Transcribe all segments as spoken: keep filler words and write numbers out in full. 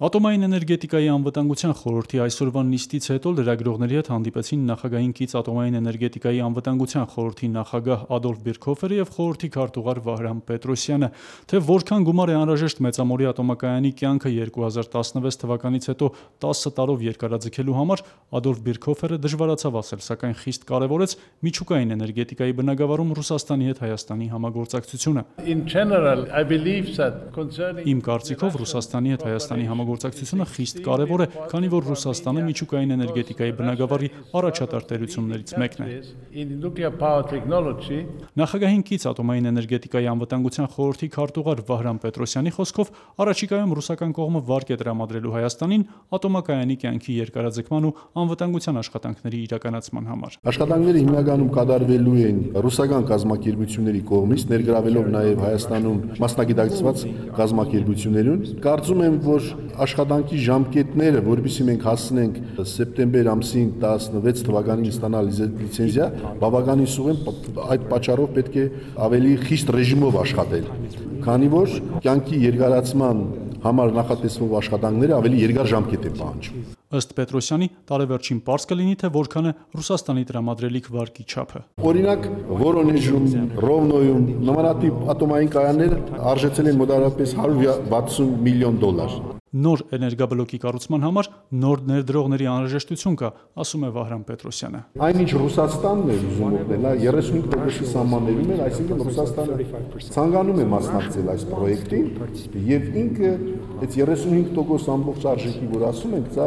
Ատոմային էներգետիկայի անվտանգության խորհրդի այսօրվա նիստից հետո լրագրողների հետ հանդիպեցին նախագահին կից ատոմային էներգետիկայի անվտանգության խորհրդի նախագահ Ադոլֆ Բիրքհոֆերը և խորհրդի քարտուղար Վահրամ Պետրոսյանը, թե որքան գումար է անհրաժեշտ Մեծամորի ատոմակայանի կյանքը երկու հազար տասնվեց թվականից հետո տասը տարով երկարաձգելու համար, Ադոլֆ Բիրքհոֆերը դժվարացավ ասել, սակայն խիստ կարևորեց միջուկային էներգետիկայի բնագավառում Ռուսաստանի հետ Հայաստանի համագործակցությունը։ Իմ կարծիքով Ռուսաստանի հետ Հայաստանի համագործակցությունը խիստ կարևոր է, քանի որ Ռուսաստանը միջուկային էներգետիկայի բնագավառի առաջատար տերություններից մեկն է։ Նախագահին կից ատոմային էներգետիկայի անվտանգության խորհրդի քարտուղար Վահրամ Պետրոսյանի խոսքով առաջիկայում ռուսական կողմը վարկ է տրամադրելու Հայաստանին ատոմակայանի կյանքի երկարաձգման ու անվտանգության աշխատանքների իրականացման համար։ Աշխատանքները հիմնականում կատարվելու են ռուսական կազմակերպությունների կողմից, ներգրավելով նաև Հայաստանում մասնագիտացված կազմակերպություններուն։ Կարծում եմ, որ աշխատանքի ժամկետները, որովհետեւ մենք հասնենք սեպտեմբեր ամսին տասնվեց թվականին ստանալ լիցենզիա, բավականին սուղ են, այդ պատճառով պետք է ավելի խիստ ռեժիմով աշխատել, քանի որ կյանքի երկարացման համար նախատեսվող աշխատանքները ավելի երկար ժամկետ են պահանջում։ Ըստ Պետրոսյանի, տարեվերջին պարզ կլինի, թե որքան է Ռուսաստանի տրամադրելիք վարկի չափը։ Օրինակ, Վորոնեժում, Ռովնոյում նմանատիպ ատոմային կայաններ արժեցել են մոտավորապես հարյուր վաթսուն միլիոն դոլար։ Նոր էներգաբլոկի կառուցման համար նոր ներդրողների անհրաժեշտություն կա, ասում է Վահրամ Պետրոսյանը։ Այնինչ Ռուսաստանն է ուզում օգնել, երեսունհինգ տոկոսի սահմաններում է, այսինքն Ռուսաստանը ցանկանում է մասնակցել այս պրոյեկտին եւ ինքը այդ երեսունհինգ տոկոս ամբողջ արժեքի, որ ասում ենք, դա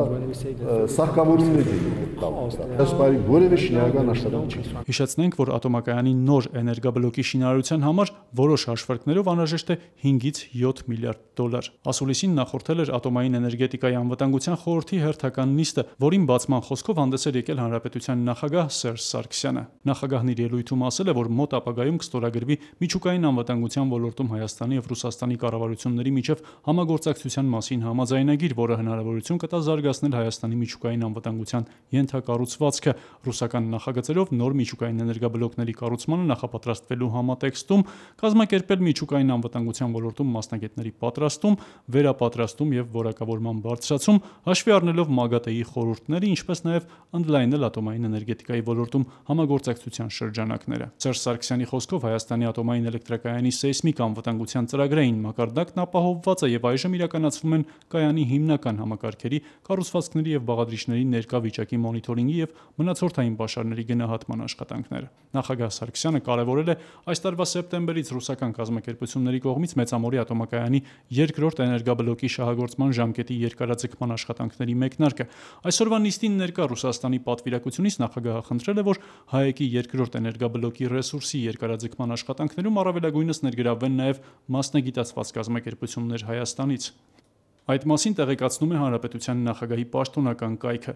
սարքավորումներ է տալու։ Դասպարի որևէ շինարարական աշխատանք չի։ Հիշեցնենք, որ ատոմակայանի նոր էներգաբլոկի շինարարության համար որոշ հաշվարկներով անհրաժեշտ է հինգից յոթ միլիարդ դոլար։ Ասուլիսին նախորդել էր ատոմային էներգետիկայի անվտանգության խորհրդի հերթական նիստը, որին բացման խոսքով հանդես էր եկել հանրապետության նախագահ Սերժ Սարգսյանը։ Նախագահն իր ելույթում ասել է, որ մոտ ապագայում կստորագրվի միջուկային անվտանգության ոլորտում Հայաստանի և Ռուսաստանի կառավարությունների միջև համագործակցության մասին համաձայնագիր, որը հնարավորություն կտա զարգացնել Հայաստանի միջուկային անվտանգության ենթակառուցվածքը։ Ռուսական նախագծերով նոր միջուկային էներգաբլոկների կառուցմանը նախապատրաստվելու համատեքստում կազմակերպել միջուկային անվտանգության ոլորտում մասնագետների պատրաստում, վերապատրաստում և որակավորման բարձրացում, հաշվի առնելով ՄԱԳԱՏԷ-ի խորհուրդները, ինչպես նաև ընդլայնել ատոմային էներգետիկայի ոլորտում համագործակցության շրջանակները։ Սերժ Սարգսյանի խոսքով Հայաստանի ատոմային էլեկտրակայանի սեյսմիկ անվտանգության ծրագրային մակարդակն ապահովված է և այժմ իրականացվում են կայանի հիմնական համակարգերի, կառուցվածքների և բաղադրիչների ներկա վիճակի մոնիթորինգի և մնացորդային պաշարների գնահատման աշխատանքները։ Նախագահ Սարգսյանը կարևորել է այս տարվա սեպտեմբերից ռուսական կազմակերպությունների կողմից Մեծամորի ատոմակայանի երկրորդ էներգաբլոկի շահագործման ժամկետի երկարաձգման աշխատանքների մեկնարկը։ Այսօրվա նիստին ներկա Ռուսաստանի պատվիրակությունից նախագահը խնդրել է, որ ՀԱԷԿ-ի երկրորդ էներգաբլոկի ռեսուրսի երկարաձգման աշխատանքներում առավելագույնս ներգրավվեն նաև մասնագիտացված կազմակերպություններ Հայաստանից։ Այդ մասին տեղեկացնում է Հանրապետության նախագահի պաշտոնական կայքը։